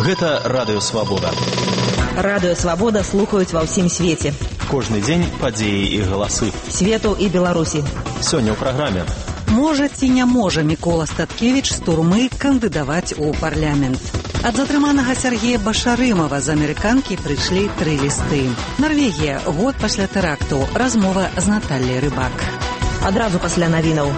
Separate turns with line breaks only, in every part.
Гэта Радыё Свабода.
Радыё Свабода слухаюць ва ўсім свеце.
Кожны дзень падзеі і галасы.
Свету і Беларусі.
Сёння ў праграме.
Можа ці не можа Мікола Статкевіч з турмы кандыдаваць у парламент? Ад затрыманага Сергея Башарымова з амерыканкі прыйшлі 3 лісты. Нарвегія, год пасля тэракту. Размова з Натальяй Рыбак.
Адразу пасля навінаў.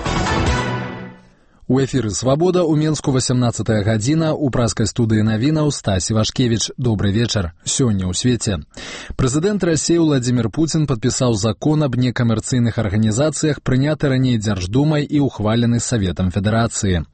У эфіры «Свабода» у Менску 18 гадзіна, у праскай студыі навінаў Стась Івашкевіч. Добры вечар. Сёння ў свеце. Прэзідэнт Расіі Владзімір Пуцін падпісаў закон аб некамерцыйных арганізацыях, прыняты раней Дзярждумай і ухвалены Саветам Федэрацыі.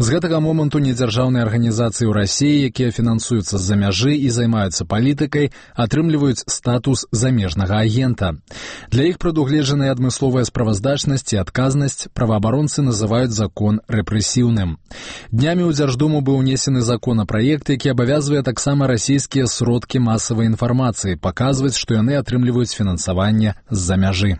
З гэтага моманту недзяржаўныя арганізацыі ў Расіі, якія фінансуюцца з-за мяжы і займаюцца палітыкай, атрымліваюць статус замежнага агента. Для іх прадугледжаная адмысловая справаздачнасць і адказнасць праваабаронцы называюць закон рэпрэсіўным. Днямі ў Дзярждуму быў унесены законапраект, які абавязвае таксама расійскія сродкі масавай інфармацыі паказваць, што яны атрымліваюць фінансаванне з-за мяжы.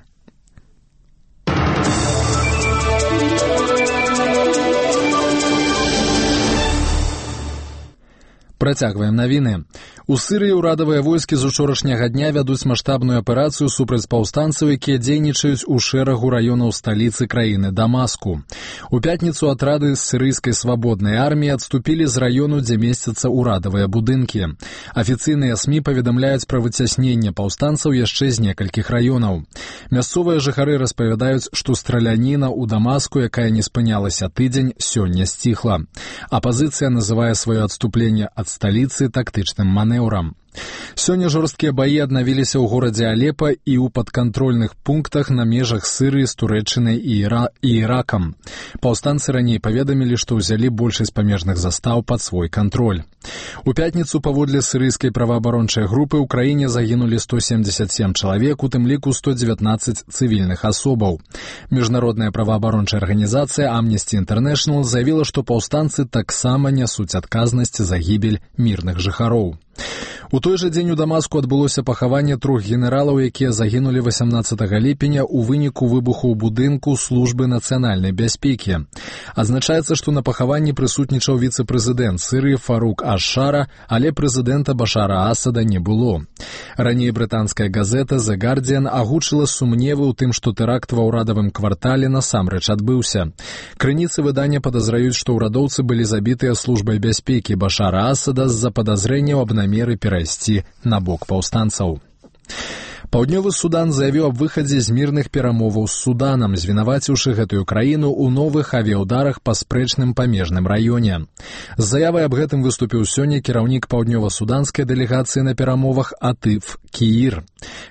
Працягваем навіны. У Сірыі ўрадавыя войскі з учорашняга дня вядуць маштабную аперацыю супраць паўстанцаў, якія дзейнічаюць у шэрагу раёнаў сталіцы краіны Дамаску. У пятніцу атрады з сірыйскай свабоднай арміі адступілі з раёну, дзе месцяцца ўрадавыя будынкі. Афіцыйныя СМІ паведамляюць пра выцясненне паўстанцаў яшчэ з некалькіх раёнаў. Мясцовыя жыхары распавядаюць, што страляніна ў Дамаску, якая не спынялася тыдзень, сёння сціхла. Апазіцыя называе сваё адступленне ад сталіцы тактычным манеўрам. Сёння жорсткія баі аднавіліся ў горадзе Алепа і ў падкантрольных пунктах на межах Сырыі з Турэччынай і Іракам. Паўстанцы раней паведамілі, што ўзялі большасць памежных застаў пад свой кантроль. У пятніцу паводле сірыйскай праваабарончай групы ў краіне загінулі 177 чалавек, у тым ліку 119 цывільных асобаў. Міжнародная праваабарончая арганізацыя Amnesty International заявіла, што паўстанцы таксама нясуць адказнасць за гібель мірных жыхароў. У той жа дзень у Дамаску адбылося пахаванне 3 генералаў, якія загінулі 18 ліпеня ў выніку выбуху ў будынку службы нацыянальнай бяспекі. Адзначаецца, што на пахаванні прысутнічаў віцэ-прэзідэнт Сірыі Фарук Аш-Шара, але прэзідэнта Башара Асада не было. Раней брытанская газета The Guardian агучыла сумневы ў тым, што тэракт ва ўрадавым квартале насамрэч адбыўся. Крыніцы выдання падазраюць, што ўрадоўцы былі забітыя службай бяспекі Башара Асада з-за падазрэнняў аб намеры перайсці на бок паўстанцаў. Паўднёвы Судан заявіў аб выхадзе з мірных перамоваў з Суданам, звінаваціўшы гэтую краіну ў новых авіяўдарах па спрэчным памежным раёне. З заявай аб гэтым выступіў сёння кіраўнік паўднёва-суданскай дэлегацыі на перамовах Атыф Кіір.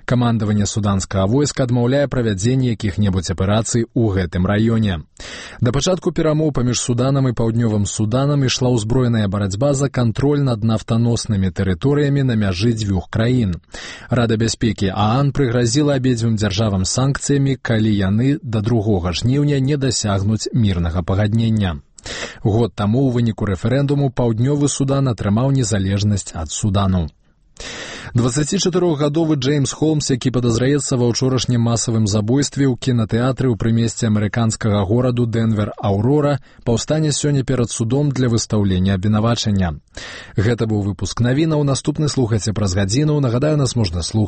Камандаванне суданскага войска адмаўляе правядзенне якіх-небудзь аперацый у гэтым раёне. Да пачатку перамоў паміж Суданам і паўднёвым Суданам ішла ўзброеная барацьба за кантроль над нафтаноснымі тэрыторыямі на мяжы дзвюх краін. Рада бяспекі ААН прыгразіла абедзвюм дзяржавам санкцыямі, калі яны да 2 жніўня не дасягнуць мірнага пагаднення. Год таму ў выніку рэферэндуму паўднёвы Судан атрымаў незалежнасць ад Судану. 24-гадовы Джеймс Холмс, які падазраецца ва ўчорашнім масавым забойстве ў кінатэатры ў прымесці амерыканскага гораду Дэнвер-Аўрора, паўстане сёння перад судом для выстаўлення абвінавачання. Гэта быў выпуск навінаў. Наступны слухайце праз гадзіну. Нагадаю, нас можна слухаць